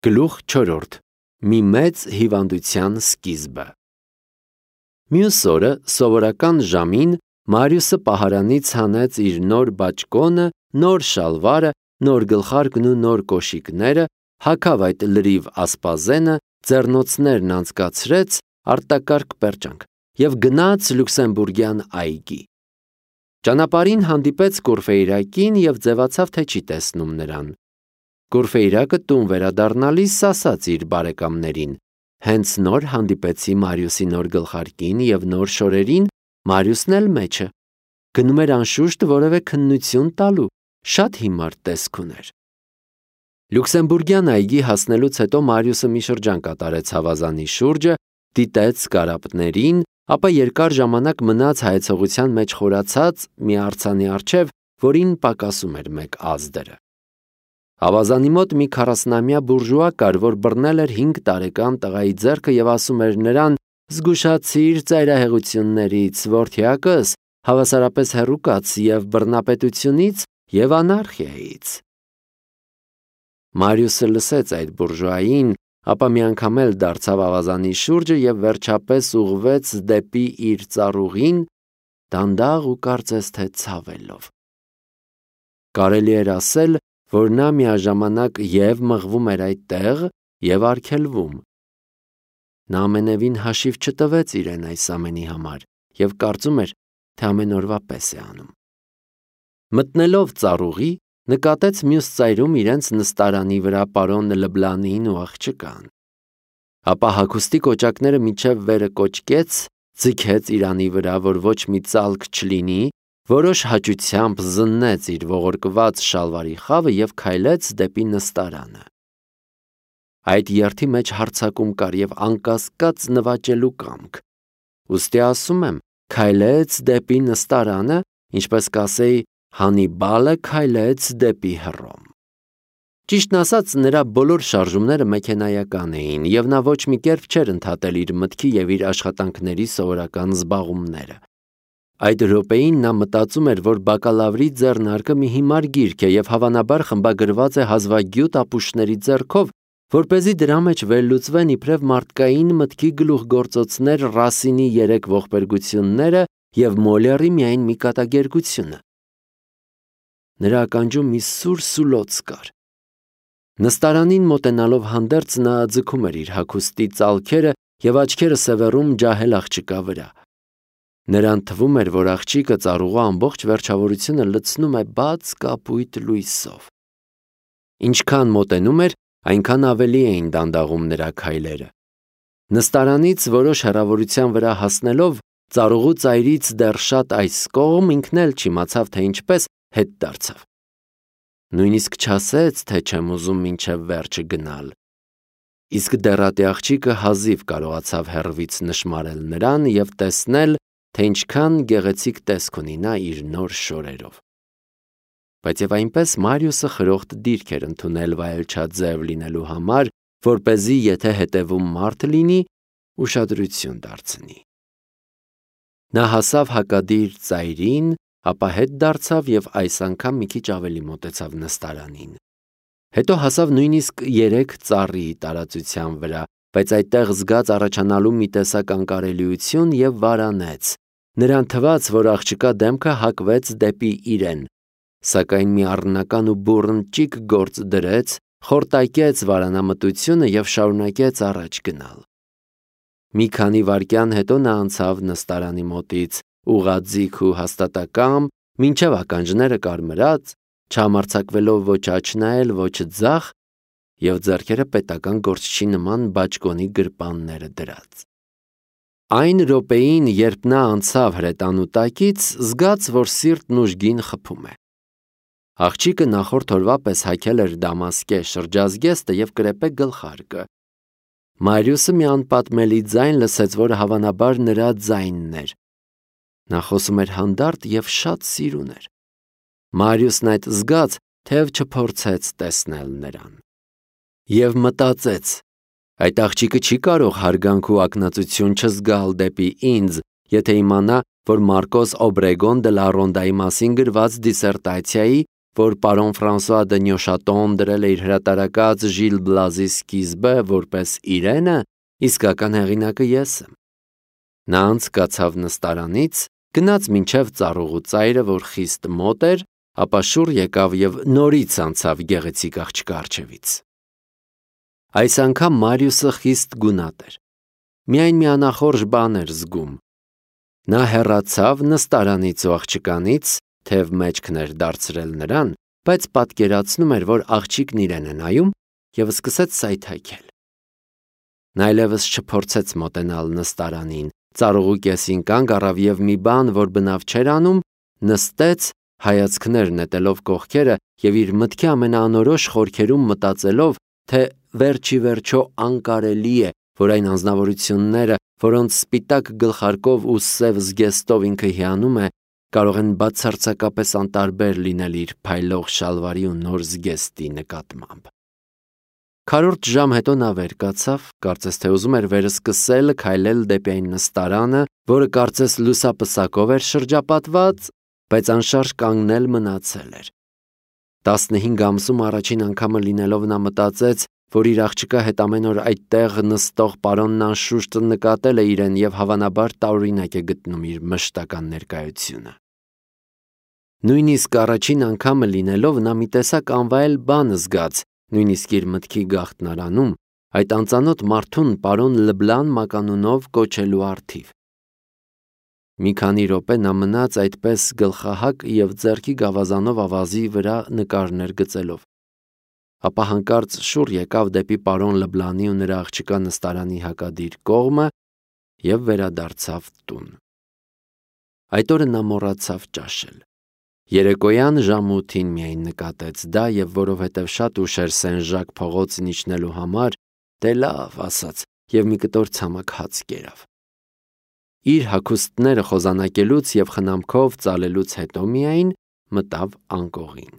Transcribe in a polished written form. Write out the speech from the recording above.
Գլուխ 4. Մի մեծ հիվանդության սկիզբը։ Մյուս օրը սովորական ժամին Մարիուսը պահարանից հանեց իր նոր բաճկոնը, նոր շալվարը, նոր գլխարկն ու նոր կոշիկները, հագավ այդ լրիվ ասպազենը, ձեռնոցներն անցկացրեց, արտակարգ պերճանք և գնաց Լյուքսեմբուրգյան այգի։ Ճանապարհին հանդիպեց Կուրֆեյրակին և ձևացավ, թե չի տեսնում նրան։ Կուրֆեյրակը տուն վերադառնալիս ասաց իր բարեկամներին. հենց նոր հանդիպեցի Մարիուսի նոր գլխարկին և նոր շորերին, Մարիուսն էլ մեջը։ Գնում էր անշուշտ որևէ քննություն տալու, շատ հիմար տեսք ուներ։ Լյուքսեմբուրգյան այգի հասնելուց հետո Մարիուսը մի շրջան կատարեց ավազանի շուրջը, դիտեց կարապներին, ապա երկար ժամանակ մնաց հայեցողության մեջ խորացած մի արձանի առջև, որին պակասում էր մեկ ազդրը։ Ավազանի մոտ մի 40-ամյա բուրժուա կար, որ բռնել էր 5 տարեկան տղայի ձեռքը և ասում էր նրան. «Զգուշացիր ծայրահեղություններից, որդյակս, հավասարապես հեռու կաց և բռնապետությունից և անարխիայից»։ Մարիուսը լսեց այդ բուրժուային, ապա մի անգամ էլ դարձավ ավազանի շուրջը և վերջապես ուղղվեց դեպի իր ծառուղին, դանդաղ ու կարծես թե ցավելով։ Կարելի էր ասել, որ նա միաժամանակ և մղվում էր այդտեղ, և արգելվում։ Նա ամենևին հաշիվ չտվեց իրեն այս ամենի համար և կարծում էր, թե ամեն օրվա պես է անում։ Մտնելով ծառուղի, նկատեց մյուս ծայրում իրենց նստարանի վրա պարոն Լբլանին ու աղջկան։ Ապա հագուստի կոճակները մինչև վերը կոճկեց, ձգեց իրանի վրա, որ ոչ մի ծալք չլինի, որոշ հաճությամբ զննեց իր ողորկված շալվարի խավը և քայլեց դեպի նստարանը։ Այդ երթի մեջ հարձակում կար և անկասկած նվաճելու կամք։ Ուստի ասում եմ, քայլեց դեպի նստարանը, ինչպես կասեի, Հանիբալը քայլեց դեպի Հռոմ։ Ճիշտն ասած, նրա բոլոր շարժումները մեքենայական էին, և նա ոչ մի կերպ չէր ընդհատել իր մտքի և իր աշխատանքների սովորական զբաղումները։ Այդ րոպեին նա մտածում էր, որ բակալավրի ձեռնարկը մի հիմար գիրք է և հավանաբար խմբագրված է հազվագյուտ ապուշների ձեռքով, որպեսզի դրա մեջ վերլուծվեն իբրև մարդկային մտքի գլուխգործոցներ Ռասինի 3 ողբերգությունները և Մոլերի միայն մի կատակերգությունը։ Նրա ականջում մի սուր սուլոց կար։ Նստարանին մոտենալով հանդերձ նա ձգում էր իր հագուստի ծալքերը և աչքերը սևեռում ջահել աղջկա վրա։ Նրան թվում էր, որ աղջիկը ծառուղու ամբողջ վերջավորությունը լցնում է բաց կապույտ լույսով։ Ինչքան մոտենում էր, այնքան ավելի էին դանդաղում նրա քայլերը։ Նստարանից որոշ հեռավորության վրա հասնելով, ծառուղու ծայրից դեռ շատ այս կողմ, ինքն էլ չիմացավ, թե ինչպես հետ դարձավ։ Նույնիսկ չասեց, թե չեմ ուզում մինչև վերջը գնալ։ Իսկ դեռատի աղջիկը հազիվ կարողացավ հեռվից նշմարել նրան և տեսնել, թե ինչքան գեղեցիկ տեսք ունի նա իր նոր շորերով։ Բայց և այնպես Մարիուսը խրոխտ դիրք էր ընդունել վայելչաձև լինելու համար, որպեսզի եթե հետևում մարդ լինի, ուշադրություն դարձնի։ Նա հասավ հակադիր ծայրին, ապա հետ դարձավ և այս անգամ մի քիչ ավելի մոտեցավ նստարանին։ Հետո հասավ նույնիսկ 3 ծառի տարածության վրա, բայց այդտեղ զգաց առաջանալու մի տեսակ անկարելիություն և վարանեց։ Նրան թվաց, որ աղջկա դեմքը հակվեց դեպի իրեն, սակայն մի առնական ու բուռն ճիգ գործ դրեց, խորտակեց վարանամտությունը և շարունակեց առաջ գնալ։ Մի քանի վայրկյան հետո նա անցավ նստարանի մոտից, ուղղաձիգ ու հաստատակամ, մինչև ականջները կարմրած, չհամարձակվելով ոչ աջ նայել, ոչ ձախ, և ձեռքերը պետական գործչի նման բաճկոնի գրպանները դրած։ Այն րոպեին, երբ նա անցավ հրետանու տակից, զգաց, որ սիրտն ուժգին խփում է։ Աղջիկը նախորդ օրվա պես հագել էր դամասկե շրջազգեստը և կրեպե գլխարկը։ Մարիուսը մի անպատմելի ձայն լսեց, որը հավանաբար նրա ձայնն էր։ Նա խոսում էր հանդարտ և շատ սիրուն էր։ Մարիուսն այդ զգաց, թեև չփորձեց տեսնել նրան։ Եվ մտածեց. այդ աղջիկը չի կարող հարգանք ու ակնածություն չզգալ դեպի ինձ, եթե իմանա, որ Մարկոս Օբրեգոն դե լա Ռոնդայի մասին գրված դիսերտացիայի որ պարոն Ֆրանսուଆ դե Նյոշատոն դրել է իր հրատարակած Ժիլ Բլազի սկիզբը որպես իրենը, իսկական հեղինակը ես եմ։ Նա անցկացավ նստարանից, գնաց մինչև ծառուղու ծայրը, որ խիստ մոտ էր, ապա շուռ եկավ եւ նորից անցավ գեղեցիկ աղջկա առջևից։ Այս անգամ Մարիուսը խիստ գունատ էր։ Միայն մի անախորժ բան էր զգում։ Նա հեռացավ նստարանից ու աղջկանից, թեև մեջքն էր դարձրել նրան, բայց պատկերացնում էր, որ աղջիկն իրեն է նայում եւ սկսեց սայթաքել։ Նա այլևս չփորձեց մոտենալ նստարանին, ծառուղու կեսին կանգ առավ եւ մի բան, որ բնավ չէր անում, նստեց, հայացքներ նետելով կողքերը եւ իր մտքի ամենաանորոշ խորքերում մտածելով, թե վերջի վերջո անկարելի է, որ այն անձնավորությունները, որոնց սպիտակ գլխարկով ու սև զգեստով ինքը հիանում է, կարող են բացարձակապես անտարբեր լինել իր փայլող շալվարի ու նոր զգեստի նկատմամբ։ Քառորդ ժամ հետո նա վեր կացավ, կարծես թե ուզում էր վերսկսել քայլել դեպի այն նստարանը, որը կարծես լուսապսակով էր շրջապատված, բայց անշարժ կանգնել մնացել էր։ 15 ամսում առաջին անգամը լինելով նա մտածեց, որ իր աղջկա հետ ամեն օր այդտեղ նստող պարոնն անշուշտ նկատել է իրեն եւ հավանաբար տարօրինակ է գտնում իր մշտական ներկայությունը։ Նույնիսկ առաջին անգամը լինելով նա մի տեսակ անվայել բան զգաց, նույնիսկ իր մտքի գաղտնարանում, այդ անծանոթ մարդուն պարոն Լբլան մականունով կոչելու առթիվ։ Մի քանի րոպե նա մնաց այդպես գլխահակ եւ ձեռքի գավազանով ավազի վրա նկարներ գծելով։ Ապա հանկարծ շուռ եկավ դեպի պարոն Լբլանի ու նրա աղջկա նստարանի հակադիր կողմը եւ վերադարձավ տուն։ Այդ օրը նա մոռացավ ճաշել։ Երեկոյան ժամ 8-ին միայն նկատեց դա եւ որովհետեւ շատ ուշ էր Սեն-Ժակ փողոցն իջնելու համար, դե լավ ասաց եւ մի կտոր ցամաք հաց կերավ։ Իր հագուստները խոզանակելուց եւ խնամքով ծալելուց հետո միայն մտավ անկողին։